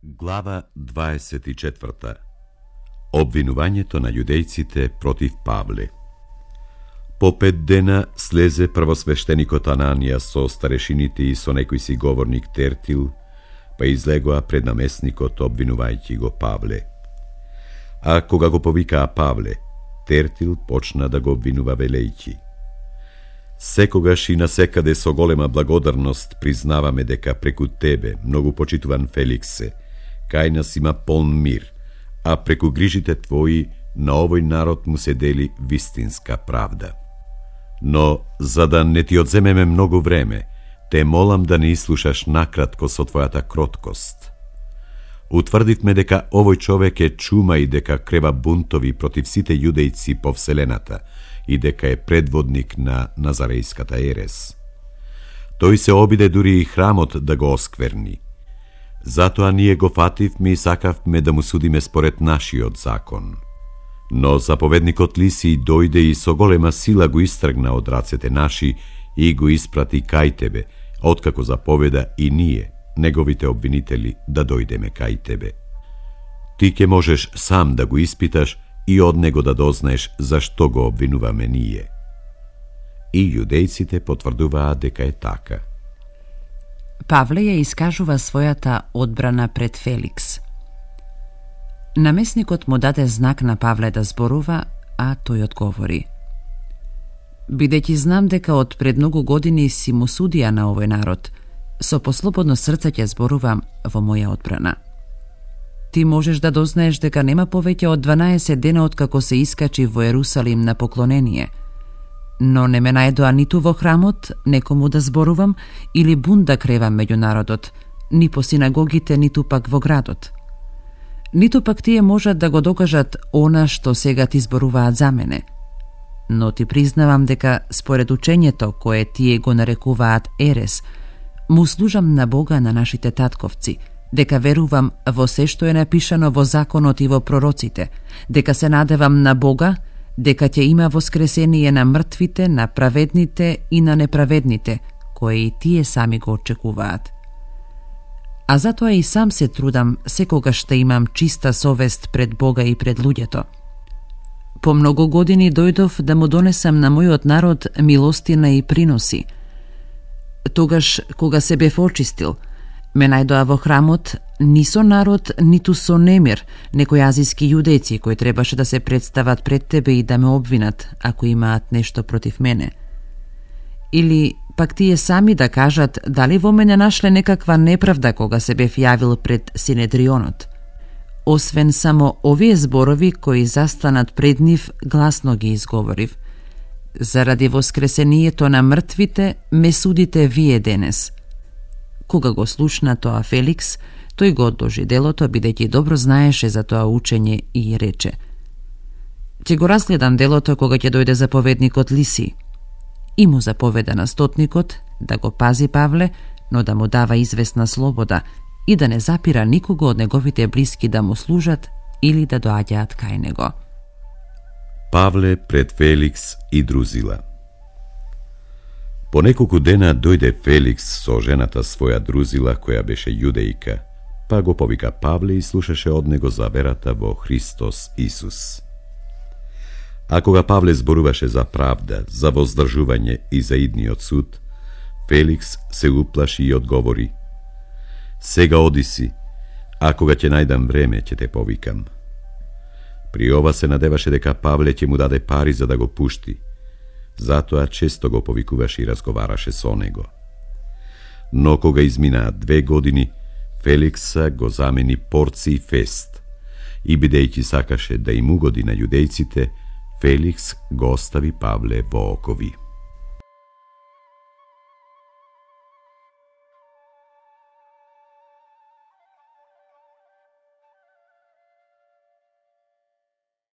Глава 24. Обвинувањето на јудејците против Павле. По 5 дена слезе првосвештеникот Ананија со старешините и со некој си говорник Тертил, па излегоа пред намесникот обвинувајќи го Павле. А кога го повикаа Павле, Тертил почна да го обвинува велејќи: секогаш и насекаде со голема благодарност признаваме дека преку тебе, многу почитуван Феликсе, кај нас има полн мир, а преку грижите твои на овој народ му се дели вистинска правда. Но, за да не ти одземеме многу време, те молам да не ислушаш накратко со твојата кроткост. Утврдивме дека овој човек е чума и дека крева бунтови против сите јудејци по вселената и дека е предводник на Назарејската ерес. Тој се обиде дури и храмот да го оскверни. Затоа ние го фативме и сакавме да му судиме според нашиот закон. Но заповедникот Лисиј дојде и со голема сила го истргна од рацете наши и го испрати кај тебе, откако заповеда и ние, неговите обвинители, да дојдеме кај тебе. Ти ќе можеш сам да го испиташ и од него да дознаеш зашто го обвинуваме ние. И јудејците потврдуваа дека е така. Павле ја искажува својата одбрана пред Феликс. Намесникот му даде знак на Павле да зборува, а тој одговори: бидејќи знам дека од пред многу години си му судија на овој народ, со послободно срце ќе зборувам во моја одбрана. Ти можеш да дознаеш дека нема повеќе од 12 дена откако се искачи во Ерусалим на поклонение, но не ме најдоа ниту во храмот некому да зборувам или бунт да кревам меѓу народот, ни по синагогите, ниту пак во градот. Ниту пак тие можат да го докажат она што сега ти зборуваат за мене. Но ти признавам дека според учењето кое тие го нарекуваат ерес, му служам на Бога на нашите татковци, дека верувам во се што е напишано во законот и во пророците, дека се надевам на Бога, дека ќе има воскресение на мртвите, на праведните и на неправедните, кои и тие сами го очекуваат. А затоа и сам се трудам секогаш да имам чиста совест пред Бога и пред луѓето. По многу години дојдов да му донесам на мојот народ милостина и приноси. Тогаш, кога се бев очистил, ме најдоа во храмот ни со народ, ниту со немир, некои азиски јудејци кои требаше да се представат пред тебе и да ме обвинат, ако имаат нешто против мене. Или пак тие сами да кажат дали во мене нашле некаква неправда кога се бев јавил пред Синедрионот. Освен само овие зборови кои застанат пред нив, гласно ги изговорив: заради воскресението на мртвите ме судите вие денес. Кога го слушна тоа Феликс, тој го одложи делото, бидејќи добро знаеше за тоа учење и рече: ќе го разгледам делото кога ќе дојде заповедникот Лисиј. И му заповеда на стотникот да го пази Павле, но да му дава известна слобода и да не запира никого од неговите блиски да му служат или да доаѓаат кај него. Павле пред Феликс и Друзила. По неколку дена дојде Феликс со жената своја Друзила, која беше јудејка, па го повика Павле и слушаше од него за верата во Христос Исус. А кога Павле зборуваше за правда, за воздржување и за идниот суд, Феликс се уплаши и одговори: сега оди си, а кога ќе најдам време ќе те повикам. При ова се надеваше дека Павле ќе му даде пари за да го пушти, затоа често го повикуваше и разговараше со него. Но кога изминаа 2 години, Феликса го замени Порци Фест и бидејќи сакаше да им угоди на јудејците, Феликс го остави Павле во окови.